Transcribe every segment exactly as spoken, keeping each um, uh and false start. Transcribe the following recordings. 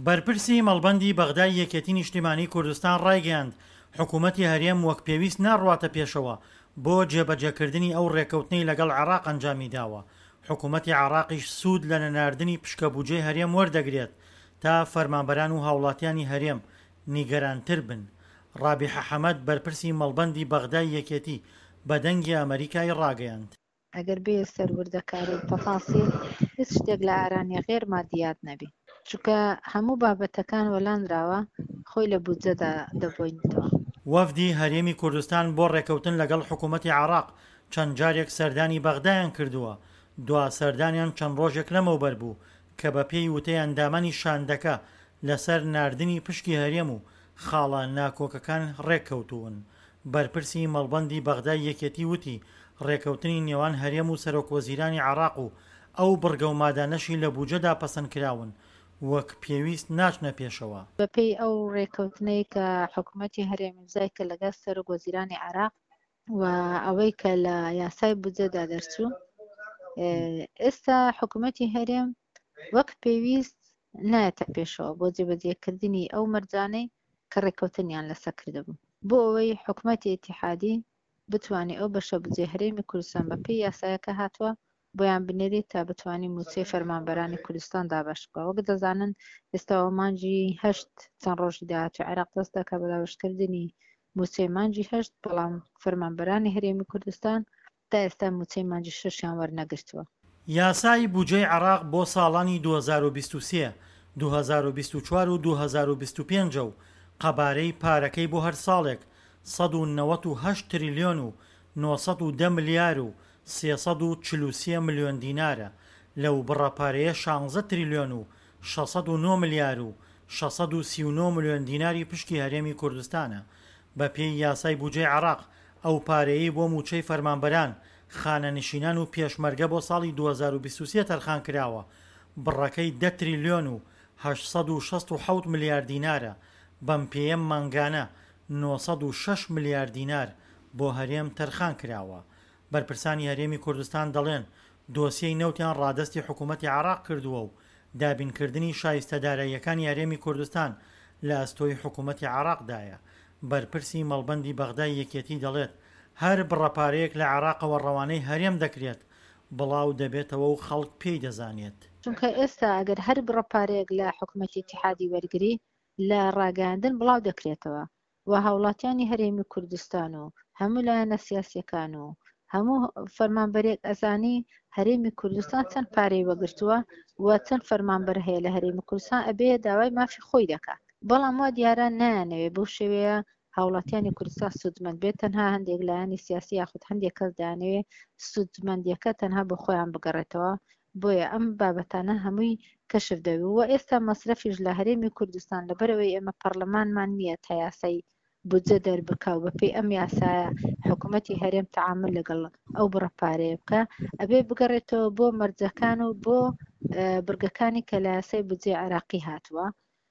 بەرپرسی مەڵبەندی بەغدای یەکێتی نیشتیمانی کوردستان ڕایگەیاند، حکومەتی هەرێم وەک پێویست ناڕواتە پێشەوە بۆ جێبەجێکردنی ئەو ڕێککەوتنەی لەگەڵ عێراق ئەنجامی داوە، حکومەتی عێراقیش سوود لە نەناردنی پشکە بوجەی هەرێم وەردەگرێت تا فەرمانبەران و هاوڵاتیانی هەرێم نیگەرانتر بن. ڕابیحە حەمەد بەرپرسی مەڵبەندی بەغدای یەکێتی بە دەنگی ئەمەریکای ڕاگەیاند. ئەگەر بێیە سەر وردەکاری و تەفاسیل هیچ شتێک لە ئارا نیە غێر مادیات نەبی چونکە هەموو بابەتەکان وەلانراوە خۆی لە بودجەدا دەبۆینتەوە. وەفدی هەرێمی کوردستان بۆ ڕێککەوتن لەگەڵ حکومەتی عێراق چەند جارێک سەردانی بەغدایان کردووە، دوا سەردانیان چەند ڕۆژێک لەمەوبەر بوو کە بەپێی وتەی ئەندامانی شاندەکە لەسەر ناردنی پشکی هەرێم و خاڵە ناکۆکەکان ڕێککەوتوون. بەرپرسی مەڵبەندی بەغدای یەکێتی وتی، ڕێککەوتنی نێوان هەرێم و سەرۆکوەزیرانی عێراق و ئەو بڕگە و مادانەشی لە بوجەدا پەسەندکراون وەک پێویست ناچنە پێشەوە. بەپێی ئەو ڕێککەوتنەی کە حکومەتی هەرێم ئیمزای کرد لەگەڵ سەرۆکوەزیرانی عێراق و ئەوەی کە لە یاسای بودجەدا دەرچوو، ئێستا حکومەتی هەرێم وەک پێویست نایەتە پێشەوە بۆ جێبەجێکردنی ئەو مەرجانەی کە ڕێککەوتنیان لەسەر کردبوو بۆ ئەوەی حکومەتی ئیتیحادی بتوانێت ئەو بەشە بودجەی هەرێمی کوردستان بەپێی یاسایەکە هاتووە بۆیان بنێرێت تا بتوانێت مووچەی فەرمانبەرانی کوردستان دابەش بکات. وەک دەزانن ئێستاوە مانگی هەشت چەند ڕۆژی داهاتوو عێراق دەست دەکات بە دابەشکردنی مووچەی مانگی هەشت، بەڵام فەرمانبەرانی هەرێمی کوردستان تا ئێستا مووچەی مانگی شەشیان وەرنەگرتووە. یاسای بودجەی عێراق بۆ ساڵانی دوو هەزار و بیست و سێ، دوو هەزار و بیست و چوار و دوو هەزار و بیست و پێنج و قەبارەی پارەکەی بۆ هەر ساڵێک سەد و نەوەد و هەشت تریلیۆن و نۆ سەد و دە ملیار و سێ سەد و چل و سێ ملیۆن دینارە، لەو بڕە پارەیە شانزە تریلیۆن و شەش سەد و نۆ ملیار و شەش سەد و سی و نۆ ملیۆن دیناری پشکی هەرێمی کوردستانە. بەپێی یاسای بودجەی عێراق، ئەو پارەیەی بۆ مووچەی فەرمانبەران، خانەنشینان و پێشمەرگە بۆ ساڵی دوو هەزار و بیست و سێ تەرخانکراوە، بڕەکەی دە تریلیۆن و هەشت سەد و شەست و حەوت ملیار دینارە، بەم پێیە مانگانە نۆ سەد و شەش ملیار دینار بۆ هەرێم تەرخانکراوە. بەرپرسانی هەرێمی کوردستان دەڵێن، دۆسیەی نەوتیان ڕادەستی حکومەتی عێراق کردووە و دابینکردنی شایستە داراییەکانی هەرێمی کوردستان لە ئەستۆی حکومەتی عێراقدایە. بەرپرسی مەڵبەندی بەغدای یەکێتی دەڵێت، هەر بڕە پارەیەک لە عێراقەوە ڕەوانەی هەرێم دەکرێت، بڵاو دەبێتەوە و خەڵک پێی دەزانێت. چونکە ئێستا ئەگەر هەر بڕە پارەیەک لە حکومەتی ئیتیحادی وەرگری، لە ڕاگەیاندن بڵاو دەکرێتەوە و هاوڵاتیانی هەرێمی کوردستان و هەموو لایەنە سیاسیەکان و هەموو فەرمانبەرێک ئەزانی هەرێمی کوردستان چەند پارەی وەگرتووە و چەند فەرمانبەر هەیە لە هەرێمی کوردستان، ئەبێ داوای مافی خۆی دەکات. بەڵام وا دیارە نایانەوێ بەو شێوەیە هاوڵاتیانی کوردستان سوودمەند بێت، تەنها هەندێک لایەنی سیاسی یاخود هەندێک کەس دەیانەوێ سوودمەندیەکە تەنها بۆ خۆیان بگەڕێتەوە. بۆیە ئەم بابەتانە هەمووی کەشف دەبێت و ئێستا مەسرەفیش لە هەرێمی کوردستان لەبەرەوەی ئێمە پەرلەمانمان نییە تا یاسای بودجە دەربکا و بەپێی ئەم یاسایە حکوومەتی هەرێم تەعامل لەگەڵ ئەو بڕە پارەیە بکە، ئەبێ بگەڕێتەوە بۆ مەرجەکان و بۆ بڕگەکانی کە لە یاسای بودجەی عێراقی هاتووە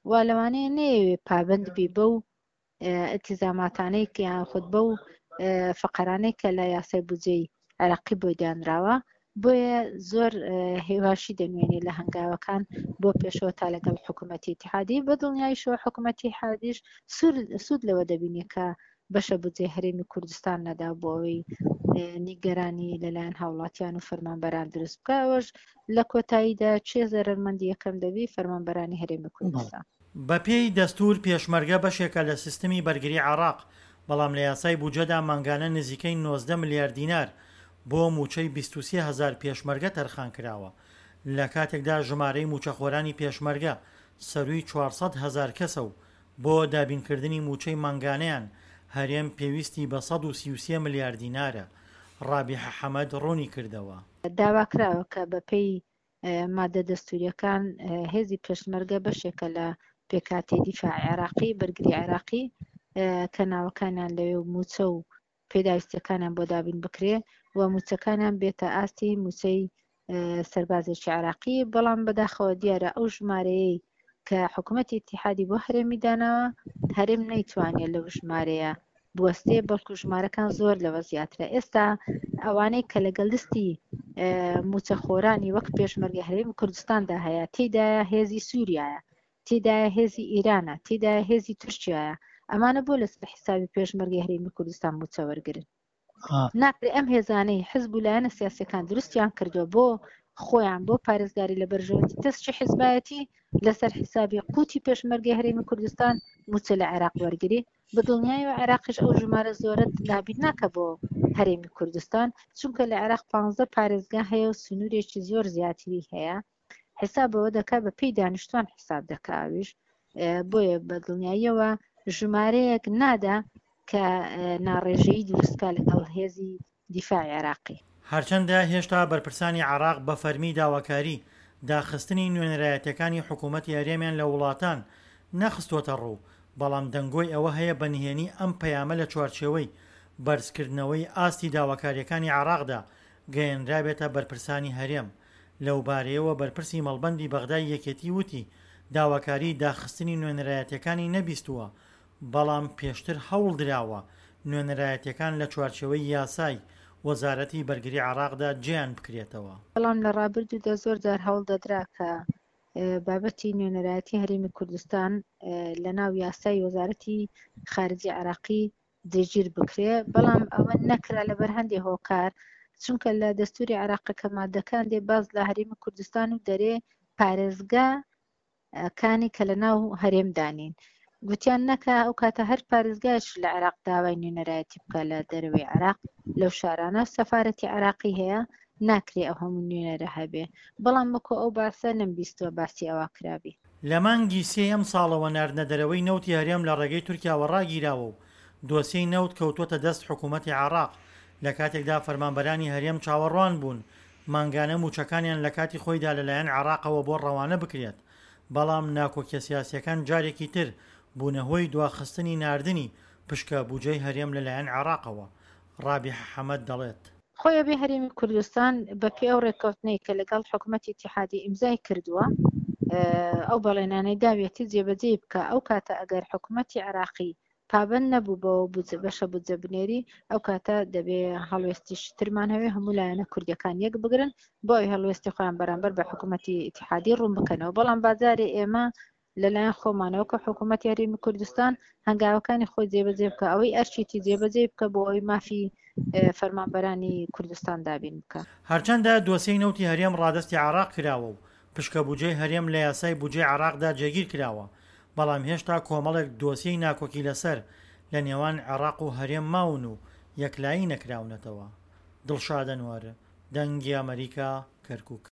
و لەوانەیە نەیەوێ پابند بی بەو ئیلتیزاماتانەی کە یان خود بەو فقرانەی کە لە یاسای بودجەی عێراقی بۆی دانراوە. بۆیە زۆر هێواشی دەنوێنێ لە هەنگاوەکان بۆ پێشەوە تا لەگەڵ حکوومەتی ئیتیحادی. بە دڵنیاییشەوە حکوومەتی ئیتیحادیش سوود لەوە دەبینێ کە بەشە بودجەی هەرێمی کوردستان نەدا بۆ ئەوەی نیگەرانی لەلایەن هاوڵاتیان و فەرمانبەران دروست بکە. ئەوەش لە کۆتاییدا چێ زەرەرمەندی یەکەم دەبی؟ فەرمانبەرانی هەرێمی کوردستان. بەپێی دەستور پێشمەرگە بەشێکە لە سیستمی بەرگری عێراق، بەڵام لە یاسای بودجەدا مانگانە نزیکەی نۆزدە ملیار دینار بۆ مووچەی بیست و سێ هەزار پێشمەرگە تەرخان کراوە، لە کاتێکدا ژمارەی مووچەخۆرانی پێشمەرگە سەرووی چوار سەد هەزار کەسە و بۆ دابینکردنی مووچەی مانگانەیان هەرێم پێویستی بە سەد و سی و سێ ملیار دینارە. ڕابیحە حەمەد ڕوونی کردەوە. داواکراوە کە بەپێی مادە دەستوریەکان هێزی پێشمەرگە بەشێکە لە پێکهاتەی دیفاع عێراقی، بەرگری عێراقی، کە ناوەکانیان لەوێ و مووچە و پێداویستیەکانیان بۆ دابین بکرێ و مووچەکانیان بێتە ئاستی مووچەی سەربازێکی عێراقی. بەڵام بەداخەوە دیارە ئەو ژمارەیەی کە حکوومەتی ئیتیحادی بۆ هەرێمی داناوە، هەرێم نەیتوانێت لەو ژمارەیە بوەستێ، بەڵکو ژمارەکان زۆر لەوە زیاترە. ئێستا ئەوانەی کە لەگەڵ لیستی مووچەخۆرانی وەک پێشمەرگە هەرێمی کوردستاندا هەیە، تێیدایە هێزی سووریایە، تێدایە هێزی ئیرانە، تێدایە هێزی تورکیایە، ئەمانە بۆ لەسەر حیسابی پێشمەرگەی هەرێمی کوردستان مووچە وەرگرن؟ ناکرێ ئەم هێزانەی حزب و لایەنە سیاسیەکان دروستیان کردووە بۆ خۆیان بۆ پارێزگاری لە بەرژەوەندی تەسکی حزبایەتی لەسەر حیسابی قوتی پێشمەرگەی هەرێمی کوردستان مووچە لە عێراق وەرگری بە دڵنیایەوە عێراقیش ئەو ژمارە زۆرە دابین ناکە بۆ هەرێمی کوردستان چونکە لە عێراق پانزە پارێزگا هەیە و سنوورێکی زۆر زیاتری هەیە حساب بەوە دەکا بە پێی دانیشتوان حساب دەکا ئەویش بۆیە بە دڵنیاییەوە ژمارەیەک نادا کە ناڕێژەیی دروست بکا لەگەڵ هێزی دیفاعی عێراقی. هەرچەندە هێشتا بەرپرسانی عێراق بە فەرمی داواکاری داخستنی نوێنەرایەتیەکانی حکوومەتی هەرێمیان لە وڵاتان نەخستووەتەڕوو، بەڵام دەنگۆی ئەوە هەیە بە نهێنی ئەم پەیامە لە چوارچێوەی بەرزکردنەوەی ئاستی داواکارییەکانی عێراقدا گەیەنرابێتە بەرپرسانی هەرێم. لەوبارەیەوە بەرپرسی مەڵبەندی بەغدای یەکێتی وتی، داواکاریی داخستنی نوێنەرایەتییەکانی نەبیستووە، بەڵام پێشتر هەوڵدراوە نوێنەرایەتییەکان لە چوارچێوەی یاسای وەزارەتی بەرگری عێراقدا جێیان بکرێتەوە. بەڵام لە ڕابردوودا زۆر جار هەوڵ دەدرا کە بابەتی نوێنەرایەتی هەرێمی کوردستان لە ناو یاسای وەزارەتی خارجی عێراقی جێگیر بکرێ، بەڵام ئەوە نەکرا لەبەر هەندێ هۆکار، چونکە لە دەستوری عێراق کە مادەکان دێ باس لە هەرێمی کوردستان و دەرێ پارێزگا کانی کە لە ناو هەرێمدا نین گوتیان نەکا ئەو کاتە هەر پارێزگایش لە عێراق داوای نوێنەرایەتی بکە لە دەرەوەی عێراق لەو شارانە سەفارەتی عێراقی هەیە ناکرێ ئەو هەموو نوێنەرە هەبێ بەڵام وەکو ئەو باسە نەمبیستووە باسی ئەوە کرابی. لە مانگی سێی ئەمساڵەوە ناردنە دەرەوەی نەوتی هەرێم لە ڕێگەی تورکیاوە ڕاگیراوە و دۆسیەی نەوت کەوتووەتە دەست حکوومەتی عێراق لە کاتێکدا فەرمانبەرانی هەرێم چاوەڕوان بوون مانگانە مووچەکانیان لە کاتی خۆیدا لەلایەن عێراقەوە بۆ ڕەوانە بکرێت بەڵام ناکۆکیە سیاسیەکان جارێکی تر بوونە هۆی دواخستنی ناردنی پشکە بوجەی هەرێم لەلایەن عێراقەوە. ڕابیحە حەمەد دەڵێت. خۆی ئەبێ هەرێمی کوردستان بە پێی ئەو ڕێککەوتنەی کە لەگەڵ حکومەتی ئیتیحادی ئیمزای کردووە ئەو بەڵێنانەی داویەتی جێبەجێی بکا ئەو کاتە ئەگەر حکومەتی عێراقی پابەند نەبوو بەوە بودجە بەشە بودجە بنێری ئەو کاتە دەبێ هەڵوێستیش ترمان هەوێ هەموو لایەنە کوردیەکان یەک بگرن بۆ ئەوی هەڵوێستی خۆیان بەرامبەر بە حکوومەتی ئیتیحادی ڕوون بکەنەوە بەڵام بازارێ ئێمە لەلایەن خۆمانەوە کە حکوومەتی هەرێمی کوردستان هەنگاوەکانی خۆی جێبەجێ بکە ئەوەی ئەرچیتی جێبەجێ بکە بۆ ئەوی مافی فەرمانبەرانی کوردستان دابین بکە. هەرچەندە دۆسیەی نەوتی هەرێم ڕادەستی عێراق کراوە و پشکە بوجەی هەرێم لە یاسای بوجەی عێراقدا جێگیر کراوە، بەڵام هێشتا کۆمەڵێک دۆسیەی ناکۆکی لەسەر لە نێوان عێراق و هەرێم ماون و یەکلایی نەکراونەتەوە. دڵشاد ئەنوەر، دەنگی ئەمەریکا، کەرکوک.